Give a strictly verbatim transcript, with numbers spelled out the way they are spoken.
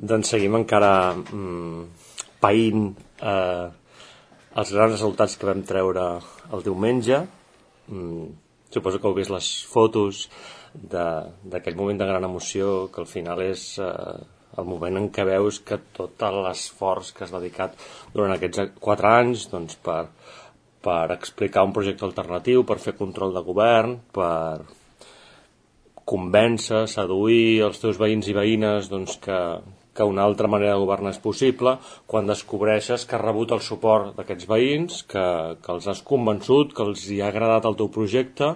Doncs seguim encara mm, païnt eh, els grans resultats que vam treure el diumenge. Mm, suposo que heu vist les fotos d'aquell moment de gran emoció, que al final és eh, el moment en què veus que tot l'esforç que has dedicat durant aquests quatre anys doncs, per, per explicar un projecte alternatiu, per fer control de govern, per convèncer, seduir els teus veïns i veïnes doncs, que, que una altra manera de governar és possible, quan descobreixes que has rebut el suport d'aquests veïns, que, que els has convençut, que els hi ha agradat el teu projecte